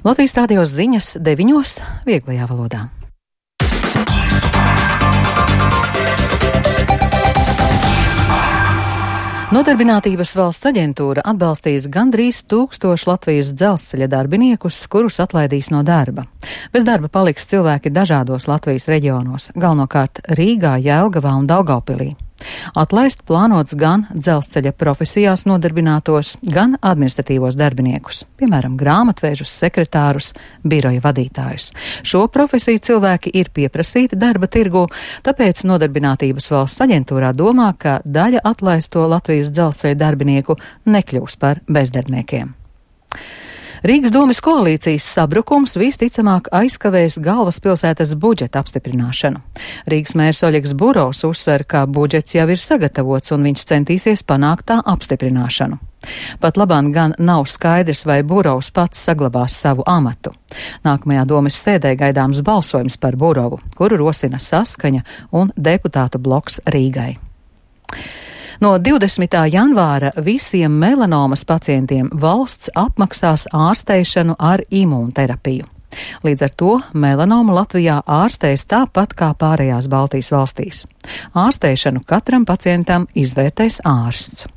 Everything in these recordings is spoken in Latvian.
Latvijas rādio ziņas 9. vieglajā valodā. Nodarbinātības valsts aģentūra atbalstīs gandrīz 1000 Latvijas dzelzceļa darbiniekus, kurus atlaidīs no darba. Bez darba paliks cilvēki dažādos Latvijas reģionos, galvenokārt Rīgā, Jelgavā un Daugavpilī. Atlaist plānots gan dzelzceļa profesijās nodarbinātos, gan administratīvos darbiniekus, piemēram, grāmatvēžus, sekretārus, biroja vadītājus. Šo profesiju cilvēki ir pieprasīti darba tirgū, tāpēc Nodarbinātības valsts aģentūrā domā, ka daļa atlaisto Latvijas dzelzceļa darbinieku nekļūs par bezdarbniekiem. Rīgas domes koalīcijas sabrukums visticamāk aizkavēs galvaspilsētas budžeta apstiprināšanu. Rīgas mērs Oļegs Burovs uzsver, ka budžets jau ir sagatavots un viņš centīsies panākt tā apstiprināšanu. Pat labāk gan nav skaidrs, vai Burovs pats saglabās savu amatu. Nākamajā domes sēdē gaidāms balsojums par Burovu, kuru rosina Saskaņa un deputātu bloks Rīgai. No 20. janvāra visiem melanomas pacientiem valsts apmaksās ārsteišanu ar imūnterapiju. Līdz ar to melanomu Latvijā ārstēs tāpat kā pārējās Baltijas valstīs. Ārsteišanu katram pacientam izvērtēs ārsts.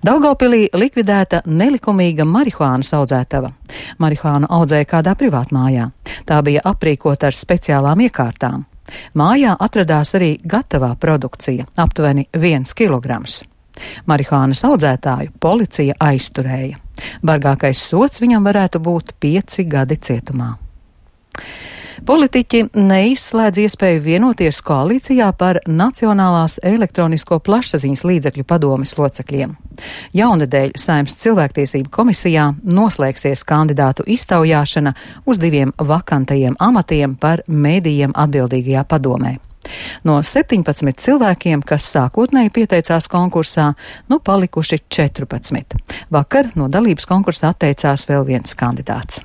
Daugavpilī likvidēta nelikumīga marihuānas audzētava. Marihuānu audzēja kādā privātmājā. Tā bija aprīkota ar speciālām iekārtām. Mājā atradās arī gatavā produkcija, aptuveni 1 kilograms. Marihuānas audzētāju policija aizturēja. Bargākais sods viņam varētu būt 5 gadi cietumā. Politiķi neizslēdz iespēju vienoties koalīcijā par Nacionālās elektronisko plašsaziņas līdzekļu padomes locekļiem. Jaunedēļ Saeimas cilvēktiesību komisijā noslēgsies kandidātu iztaujāšana uz 2 vakantajiem amatiem par medijiem atbildīgajā padomē. No 17 cilvēkiem, kas sākotnēji pieteicās konkursā, palikuši 14. Vakar no dalības konkursā atteicās vēl viens kandidāts.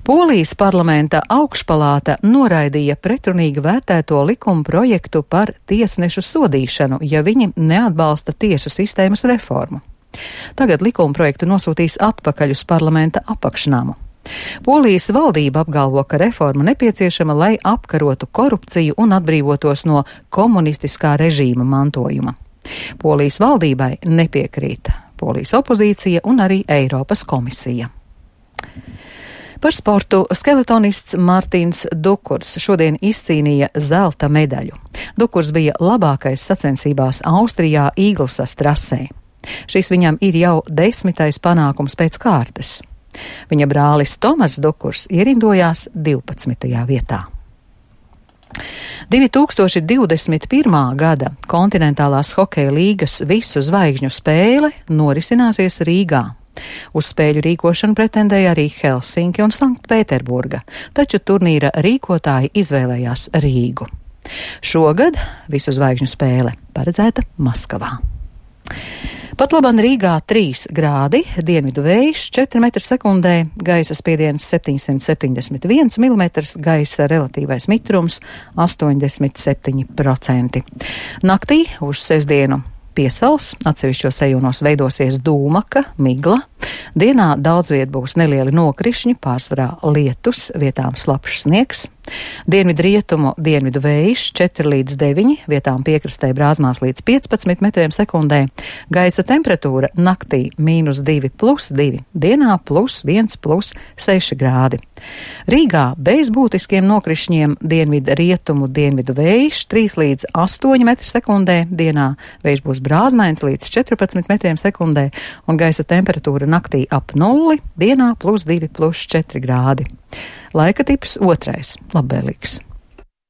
Polijas parlamenta augšpalāta noraidīja pretrunīgi vērtēto likuma projektu par tiesnešu sodīšanu, ja viņi neatbalsta tiesu sistēmas reformu. Tagad likuma projektu nosūtīs atpakaļ uz parlamenta apakšnamu. Polijas valdība apgalvo, ka reforma nepieciešama, lai apkarotu korupciju un atbrīvotos no komunistiskā režīma mantojuma. Polijas valdībai nepiekrīt Polijas opozīcija un arī Eiropas komisija. Par sportu skeletonists Mārtiņš Dukurs šodien izcīnīja zelta medaļu. Dukurs bija labākais sacensībās Austrijā Īglsas trasē. Šis viņam ir jau 10. panākums pēc kārtas. Viņa brālis Tomas Dukurs ierindojās 12. vietā. 2021. gada kontinentālās hokeja līgas visu zvaigžņu spēle norisināsies Rīgā. Uz spēļu rīkošanu pretendēja arī Helsinki un Sanktpēterburga, taču turnīra rīkotāji izvēlējās Rīgu. Šogad visu zvaigžņu spēle paredzēta Maskavā. Pat labāk Rīgā 3 grādi, dienvidu vējš 4 m/sekundē, gaisa spiediens 771 mm, gaisa relatīvais mitrums 87%. Naktī uz sestdienu piesals, atsevišķos rajonos veidosies dūmaka, migla. Dienā daudz viet būs nelieli nokrišņi, pārsvarā lietus, vietām slapjš sniegs. Dienvidrietumu dienvidu vējš 4 līdz 9, vietām piekrastē brāzmās līdz 15 m/sekundē. Gaisa temperatūra naktī -2 + 2, dienā +1 + 6 grādi. Rīgā bez būtiskiem nokrišņiem dienvidrietumu dienvidu vējš 3 līdz 8 m/sekundē, dienā vējš būs brāzmains līdz 14 m/sekundē un gaisa temperatūra naktī ap 0, dienā +2 + 4 grādi. Laika tips 2, labvēlīgs.